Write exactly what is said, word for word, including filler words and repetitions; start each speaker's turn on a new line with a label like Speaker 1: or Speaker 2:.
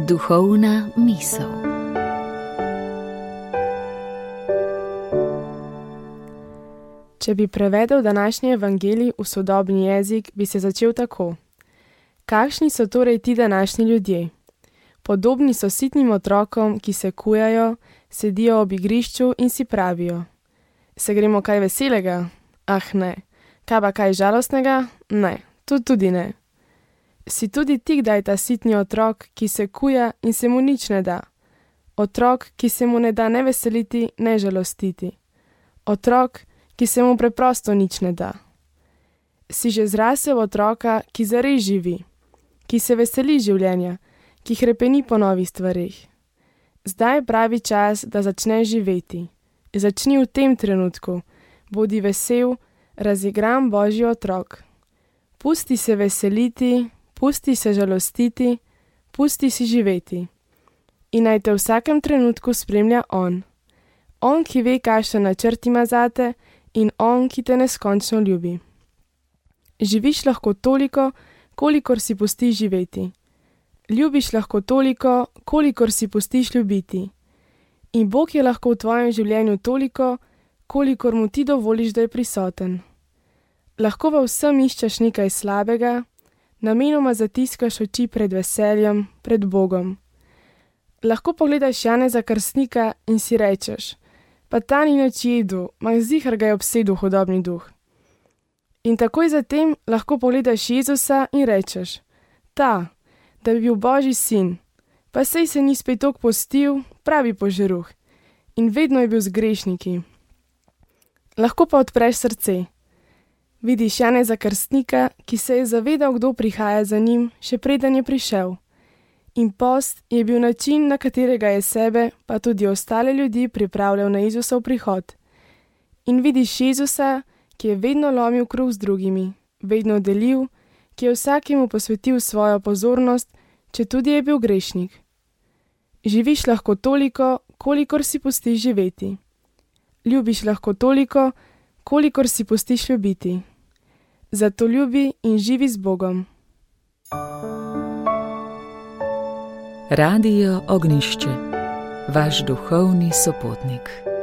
Speaker 1: Duhovna misel.
Speaker 2: Če bi prevedel današnji evangelij v sodobni jezik, bi se začel tako. Kakšni so torej ti današnji ljudje? Podobni so sitnim otrokom, ki se kujajo, sedijo ob igrišču in si pravijo: se gremo kaj veselega? Ah ne. Kaj pa kaj žalostnega? Ne, to tudi ne. Si tudi ti kdaj ta sitni otrok, ki se kuja in se mu nič ne da? Otrok, ki se mu ne da ne veseliti, ne žalostiti. Otrok, ki se mu preprosto nič ne da. Si že zrasel otroka, ki zares živi, ki se veseli življenja, ki hrepeni po novih stvareh. Zdaj je pravi čas, da začneš živeti. Začni v tem trenutku, bodi vesel, razigran Božji otrok. Pusti se veseliti, pusti se žalostiti, pusti si živeti. In naj te v vsakem trenutku spremlja On. On, ki ve, kakšen načrt ima zate, in On, ki te neskončno ljubi. Živiš lahko toliko, kolikor si pustiš živeti. Ljubiš lahko toliko, kolikor si pustiš ljubiti. In Bog je lahko v tvojem življenju toliko, kolikor mu ti dovoliš, da je prisoten. Lahko v vsem iščeš nekaj slabega, namenoma zatiskaš oči pred veseljem, pred Bogom. Lahko pogledaš Janeza Krstnika in si rečeš: pa ta ni nič jedel, ma ziher ga je obsedel hudobni duh. In takoj zatem lahko pogledaš Jezusa in rečeš: ta, da bi bil Božji sin, pa sej se ni spet toliko postil, pravi požeruh, in vedno je bil z grešniki. Lahko pa odpreš srce. Vidiš Janeza Krstnika, ki se je zavedal, kdo prihaja za njim, še preden je prišel. In post je bil način, na katerega je sebe, pa tudi ostale ljudi pripravljal na Jezusov prihod. In vidiš Jezusa, ki je vedno lomil kruh z drugimi, vedno delil, ki je vsakemu posvetil svojo pozornost, če tudi je bil grešnik. Živiš lahko toliko, kolikor si pustiš živeti. Ljubiš lahko toliko, kolikor si pustiš ljubiti. Zato ljubi in živi z Bogom.
Speaker 1: Radio Ognjišče, vaš duhovni sopotnik.